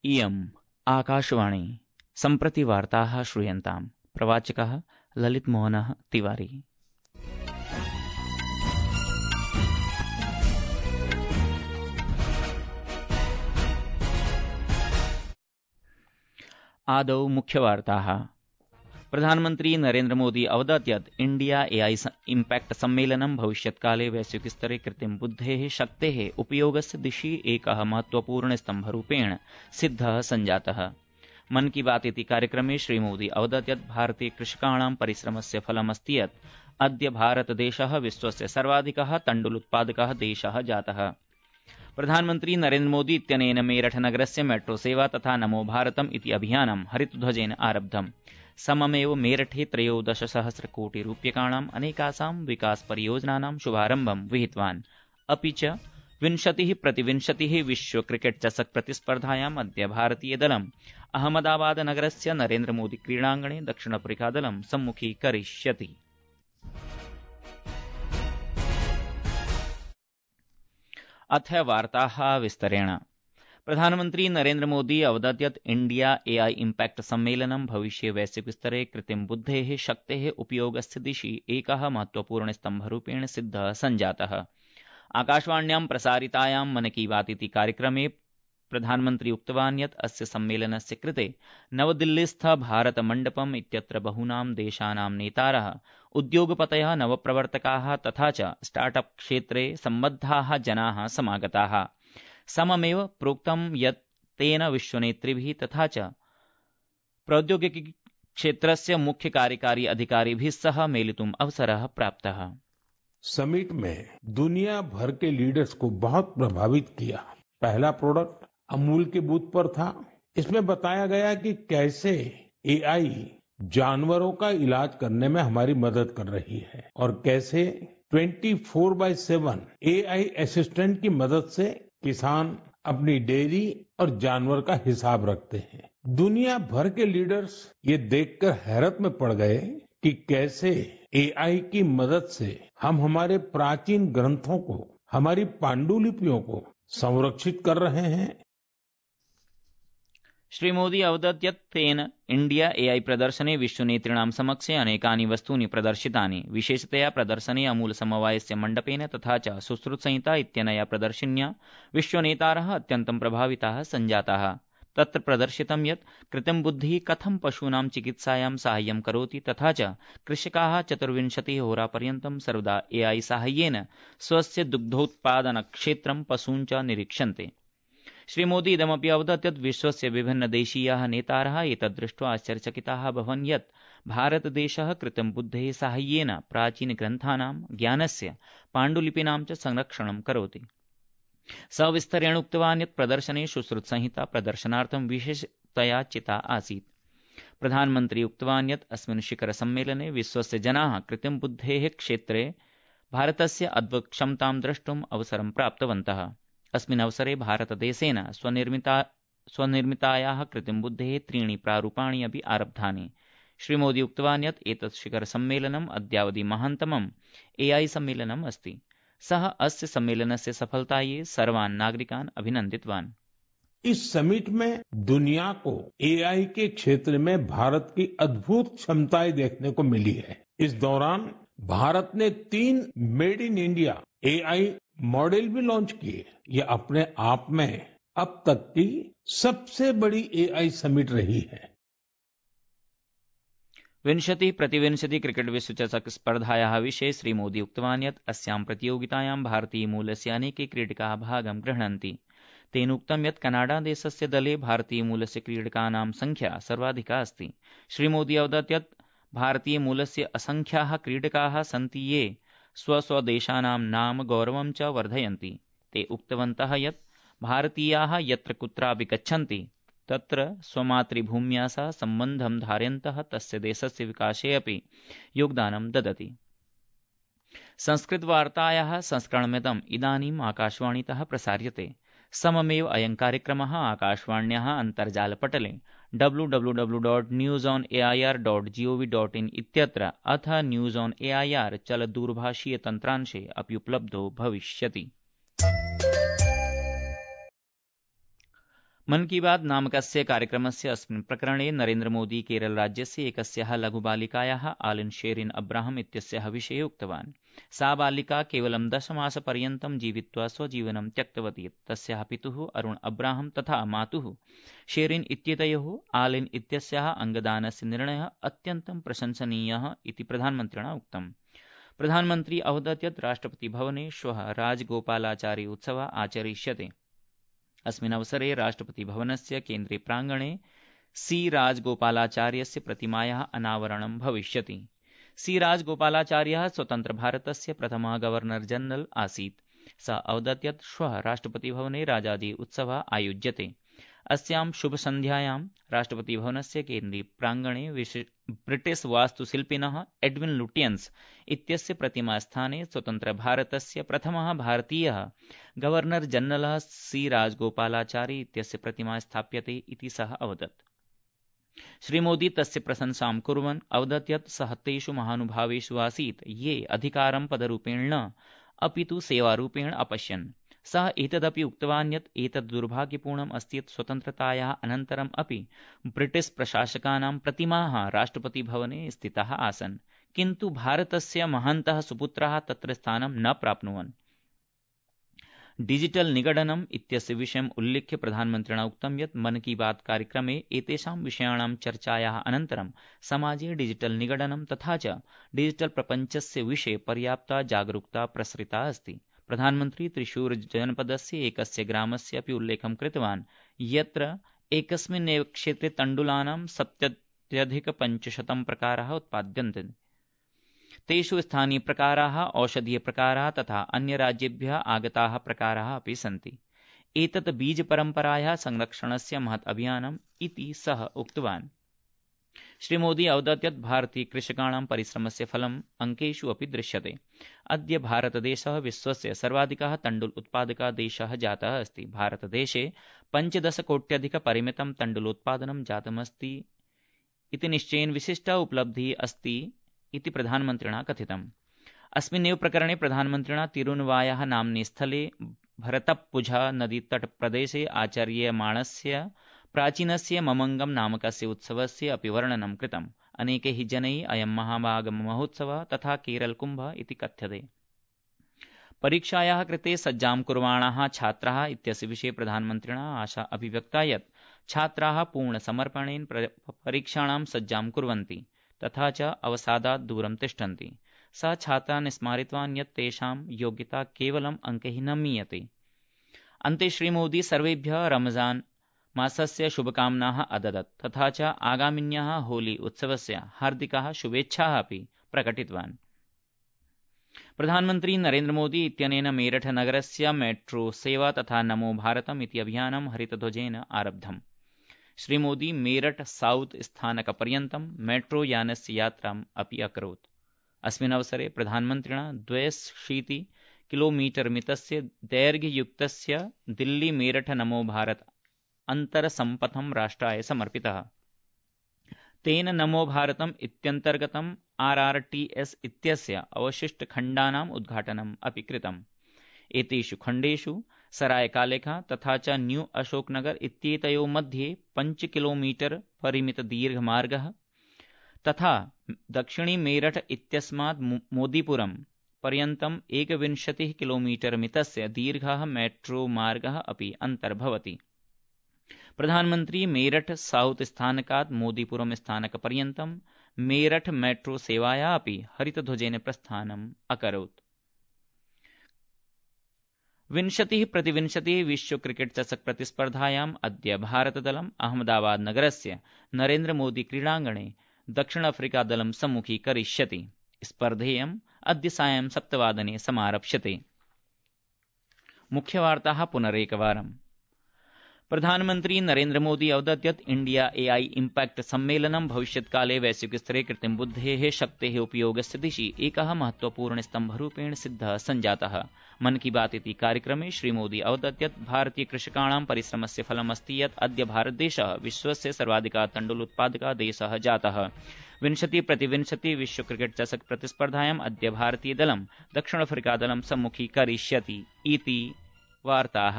इयम् आकाशवाणी सम्प्रति वार्ताः श्रूयन्ताम्। प्रवाचकः ललितमोहनः तिवारी। आदौ मुख्यवार्ताः। प्रधानमन्त्री नरेन्द्र मोदी अवदत् यत् इंडिया एआई इम्पैक्ट सम्मेलनं भविष्यत्काले वैश्विकस्तरे कृत्रिमबुद्धेः शक्तेः उपयोगस्य दिशि एकः महत्वपूर्णस्तम्भरूपेण सिद्धः सञ्जातः। मन की बात इति कार्यक्रमे श्रीमोदी अवदत् यत् भारतीय कृषकाणां परिश्रमस्य फलमस्ति यत् अद्य भारतदेशः विश्वस्य सर्वाधिकः तण्डुलोत्पादकः देशः जातः। प्रधानमन्त्री नरेन्द्र मोदी इत्यनेन मेरठ नगरस्य मेट्रो सेवा तथा नमो भारतम् इति अभियानं हरितध्वजेन आरब्धम्। सममेव मेरठे 13 कोटि रूप्यकाणाम् अनेकासां विकास परियोजनानां शुभारम्भं विहितवान्। अपि च 20x20 विश्व क्रिकेट चषक प्रतिस्पर्धायाम् अद्य भारतीयदलम् अहमदाबाद नगरस्य नरेन्द्र मोदी क्रीडाङ्गणे दक्षिणाफ्रीकादलं सम्मुखीकरिष्यति। अथ वार्ताः विस्तरेण। प्रधानमन्त्री नरेन्द्र मोदी अवदत् यत् इंडिया एआई इम्पैक्ट सम्मेलनं भविष्ये वैश्विकस्तरे कृत्रिमबुद्धेः शक्तेः उपयोगस्य दिशि एकः महत्वपूर्णस्तम्भरूपेण सिद्धः सञ्जातः। आकाशवाण्यां प्रसारितायां मन की बात इति कार्यक्रमे प्रधानमन्त्री उक्तवान् यत् अस्य सम्मेलनस्य कृते नवदिल्लीस्थ भारतमण्डपम् इत्यत्र बहूनां देशानां नेतारः, उद्योगपतयः, नवप्रवर्तकाः तथा च स्टार्टअप क्षेत्रे सम्बद्धाः जनाः समागताः। सममेव प्रोक्तं यत् तेन विश्वनेतृभिः तथा च प्रौद्योगिकी क्षेत्रस्य मुख्य कार्यकारी अधिकारिभिः सह मेलितुम् अवसरः प्राप्तः। समिट में दुनिया भर के लीडर्स को बहुत प्रभावित किया। पहला प्रोडक्ट अमूल के बूथ पर था। इसमें बताया गया कि कैसे एआई जानवरों का इलाज करने में हमारी मदद कर रही है और कैसे 24/7 एआई असिस्टेंट की मदद से किसान अपनी डेयरी और जानवर का हिसाब रखते हैं। दुनिया भर के लीडर्स ये देखकर हैरत में पड़ गए कि कैसे एआई की मदद से हम हमारे प्राचीन ग्रंथों को, हमारी पांडुलिपियों को संरक्षित कर रहे हैं। श्रीमोदी अवदत् यत् तेन इंडिया एआई प्रदर्शने विश्वनेतॄणां समक्षे अनेकानि वस्तूनि प्रदर्शितानि। विशेषतया प्रदर्शने अमूल समवायस्य मण्डपेन तथा च सुश्रुतसंहिता इत्यनया प्रदर्शिन्या विश्वनेतारः अत्यन्तं प्रभाविताः सञ्जाताः। तत्र प्रदर्शितं यत् कृत्रिमबुद्धिः कथं पशूनां चिकित्सायां साहाय्यं करोति तथा च कृषकाः 24 होरापर्यन्तं सर्वदा एआई साहाय्येन स्वस्य दुग्धोत्पादनक्षेत्रं पशून् च निरीक्षन्ते। श्रीमोदी इदमपि अवदत् यत् विश्वस्य विभिन्नदेशीयाः नेतारः एतद्दृष्ट्वा आश्चर्यचकिताः अभवन् यत् भारतदेशः कृत्रिमबुद्धेः साहाय्येन प्राचीनग्रन्थानां, ज्ञानस्य, पाण्डुलिपीनां च संरक्षणं करोति। सविस्तरेण उक्तवान् यत् प्रदर्शने सुश्रुतसंहिता प्रदर्शनार्थं विशेषतया चिता आसीत्। प्रधानमन्त्री उक्तवान् यत् अस्मिन् शिखर सम्मेलने विश्वस्य जनाः कृत्रिमबुद्धेः क्षेत्रे भारतस्य अद्भुतक्षमतां द्रष्टुम् अवसरं प्राप्तवन्तः। अस्मिन् अवसरे भारतदेशेन स्वनिर्मितायाः कृत्रिमबुद्धेः 3 प्रारूपाणि अपि आरब्धानि। श्रीमोदी उक्तवान् यत् एतत् शिखर सम्मेलनम् अद्यावधि महान्तमम् एआई सम्मेलनम् अस्ति। सः अस्य सम्मेलनस्य सफलतायै सर्वान् नागरिकान् अभिनन्दितवान्। इस समिट में दुनिया को एआई के क्षेत्र में भारत की अद्भुत क्षमताएं देखने को मिली है। इस दौरान भारत ने 3 made in India AI model भी लॉन्च किए। ये अपने आप में अब तक की सबसे बड़ी एआई समिट रही है। 20x20 क्रिकेट विश्वचषक स्पर्धायाः विषये श्रीमोदी उक्तवान् यत् अस्यां प्रतियोगितायां भारतीयमूलस्य अनेके क्रीडकाः भागं गृह्णन्ति। तेन उक्तं यत् कनाडादेशस्य दले भारतीयमूलस्य क्रीडकानां संख्या सर्वाधिका अस्ति। श्रीमोदी अवदत् यत् भारतीयमूलस्य असंख्याः क्रीडकाः सन्ति ये स्वस्वदेशानां नाम गौरवं च वर्धयन्ति। ते उक्तवन्तः यत् भारतीयाः यत्र कुत्रापि गच्छन्ति तत्र स्वमातृभूम्या सह सम्बन्धं धारयन्तः तस्य देशस्य विकासे अपि योगदानं ददति। संस्कृतवार्तायाः संस्करणमिदम् इदानीम् आकाशवाणीतः प्रसार्यते। सममेव अयं कार्यक्रमः आकाशवाण्याः अन्तर्जालपटले www.newsonair.gov.in इत्यत्र अथ न्यूज़ ऑन एआईआर चलदूरभाषीय तन्त्रांशे अपि उपलब्धो भविष्यति। मन की बात नामकस्य कार्यक्रमस्य अस्मिन् प्रकरणे नरेन्द्रमोदी केरलराज्यस्य एकस्याः लघुबालिकायाः आलिन शेरिन अब्राहम इत्यस्याः विषये उक्तवान्। सा बालिका केवलं 10 मासपर्यन्तं जीवित्वा स्वजीवनं त्यक्तवती। तस्याः पितुः अरुण अब्राहम तथा मातुः शेरिन इत्येतयोः आलिन इत्यस्याः अङ्गदानस्य निर्णयः अत्यन्तं प्रशंसनीयः इति प्रधानमन्त्रिणा उक्तम्। प्रधानमन्त्री अवदत् यत् राष्ट्रपतिभवने श्वः राजगोपालाचारी उत्सवः आचरिष्यते। अस्मिन् अवसरे राष्ट्रपतिभवनस्य केन्द्रे प्राङ्गणे सी राजगोपालाचार्यस्य प्रतिमायाः अनावरणं भविष्यति। सी राजगोपालाचार्यः स्वतन्त्रभारतस्य प्रथमः गवर्नर जनरल आसीत्। सः अवदत् यत् श्वः राष्ट्रपतिभवने राजाजी उत्सवः आयोज्यते। अस्यां शुभसन्ध्यायां राष्ट्रपतिभवनस्य केन्द्रीय प्राङ्गणे ब्रिटिश वास्तुशिल्पिनः एडविन लुटियन्स इत्यस्य प्रतिमास्थाने स्वतन्त्रभारतस्य प्रथमः भारतीयः गवर्नर जनरल सी राजगोपालाचारी इत्यस्य प्रतिमा स्थाप्यते इति सः अवदत्। श्रीमोदी तस्य प्रशंसां कुर्वन् अवदत् यत् सः तेषु महानुभावेषु आसीत् ये अधिकारं पदरूपेण न अपि तु सेवारूपेण अपश्यन्। सः एतदपि उक्तवान् यत् एतद् दुर्भाग्यपूर्णम् अस्ति यत् स्वतन्त्रतायाः अनन्तरम् अपि ब्रिटिश प्रशासकानां प्रतिमाः राष्ट्रपतिभवने स्थिताः आसन्, किन्तु भारतस्य महान्तः सुपुत्राः तत्र स्थानं न प्राप्नुवन्। डिजिटल निगडनम् इत्यस्य विषयम् उल्लिख्य प्रधानमन्त्रिणा उक्तं यत् मन की बात कार्यक्रमे एतेषां विषयाणां चर्चायाः अनन्तरं समाजे डिजिटल निगडनं तथा च डिजिटल प्रपञ्चस्य विषये पर्याप्ता जागरूकता प्रसृता अस्ति। प्रधानमन्त्री त्रिशूर जनपदस्य एकस्य ग्रामस्य अपि उल्लेखं कृतवान् यत्र एकस्मिन्नेव क्षेत्रे तण्डुलानां 70,500 प्रकाराः उत्पाद्यन्ते। तेषु स्थानीयप्रकाराः, औषधीयप्रकाराः तथा अन्यराज्येभ्यः आगताः प्रकाराः अपि सन्ति। एतत् बीजपरम्परायाः संरक्षणस्य महत् अभियानम् इति सः उक्तवान्। श्रीमोदी अवदत् यत् भारतीयकृषकाणां परिश्रमस्य फलम् अङ्केषु अपि दृश्यते। अद्य भारतदेशः विश्वस्य सर्वाधिकः तण्डुल उत्पादकः देशः जातः अस्ति। भारतदेशे 15 कोट्यधिकपरिमितं तण्डुलोत्पादनं जातमस्ति इति निश्चयेन विशिष्टा उपलब्धिः अस्ति इति प्रधानमन्त्रिणा कथितम्। अस्मिन्नेव प्रकरणे प्रधानमन्त्रिणा तिरुनवायाः नाम्नि स्थले भरतप्पुझा नदीतटप्रदेशे आचर्यमाणस्य प्राचीनस्य ममङ्गम नामकस्य उत्सवस्य अपि वर्णनं कृतम्। अनेकैः जनैः अयं महामागममहोत्सवः तथा केरलकुम्भः इति कथ्यते। परीक्षायाः कृते सज्जां कुर्वाणाः छात्राः इत्यस्य विषये प्रधानमन्त्रिणा आशा अभिव्यक्ता यत् छात्राः पूर्णसमर्पणेन परीक्षाणां सज्जां कुर्वन्ति तथा च अवसादात् दूरं तिष्ठन्ति। सः छात्रान् स्मारितवान् यत् तेषां योग्यता केवलम् अङ्कैः न मीयते। अन्ते श्रीमोदी सर्वेभ्यः रमजान मासस्य शुभकामनाः अददत् तथा च आगामिन्याः होली उत्सवस्य हार्दिकाः शुभेच्छाः अपि प्रकटितवान्। प्रधानमन्त्री नरेन्द्रमोदी इत्यनेन मेरठ नगरस्य मेट्रो सेवा तथा नमो भारतम् इति अभियानं हरितध्वजेन आरब्धम्। श्रीमोदी मेरठ साउथ स्थानकपर्यन्तं मेट्रो यानस्य यात्राम् अपि अकरोत्। अस्मिन् अवसरे प्रधानमन्त्रिणा 260 किलोमीटर मितस्य दैर्घ्ययुक्तस्य दिल्ली मेरठ नमो भारत अन्तरसम्पथं राष्ट्राय समर्पितः। तेन नमो भारतम् इत्यन्तर्गतम् RRTS इत्यस्य अवशिष्टखण्डानाम् उद्घाटनम् अपि कृतम्। एतेषु खण्डेषु सरायकालेखा तथा च न्यू अशोकनगर इत्येतयोः मध्ये 5 किलोमीटर परिमितदीर्घमार्गः तथा दक्षिणी मेरठ इत्यस्मात् मोदीपुरम् पर्यन्तं 21 किलोमीटर मितस्य दीर्घः मेट्रो मार्गः अपि अन्तर्भवति। प्रधानमन्त्री मेरठ साउथ स्थानकात् मोदीपुरम स्थानकपर्यन्तं मेरठ मेट्रो सेवाया अपि हरितध्वजेन प्रस्थानम् अकरोत्। 20x20 विश्व क्रिकेट चषक प्रतिस्पर्धायाम् अद्य भारतदलम् अहमदाबाद नगरस्य नरेन्द्र मोदी क्रीडाङ्गणे दक्षिण अफ्रीका दलं सम्मुखीकरिष्यति। स्पर्धेयम् अद्य सायं 7 वादने समारप्स्यते। मुख्यवार्ताः पुनरेकवारम्। प्रधानमन्त्री नरेन्द्र मोदी अवदत् यत् इंडिया AI इम्पैक्ट सम्मेलनं भविष्यत्काले वैश्विकस्तरे कृत्रिमबुद्धेः शक्तेः उपयोगस्य दिशि एकः महत्वपूर्णस्तम्भरूपेण सिद्धः सञ्जातः। मन की बात इति कार्यक्रमे श्रीमोदी अवदत् यत् भारतीयकृषकाणां परिश्रमस्य फलमस्ति यत् अद्य भारतदेशः विश्वस्य सर्वाधिकः तण्डुलोत्पादकः देशः जातः। 20x20 विश्व क्रिकेट चषक प्रतिस्पर्धायाम् अद्य भारतीयदलं दक्षिण अफ्रीकादलं सम्मुखीकरिष्यति इति वार्ताः।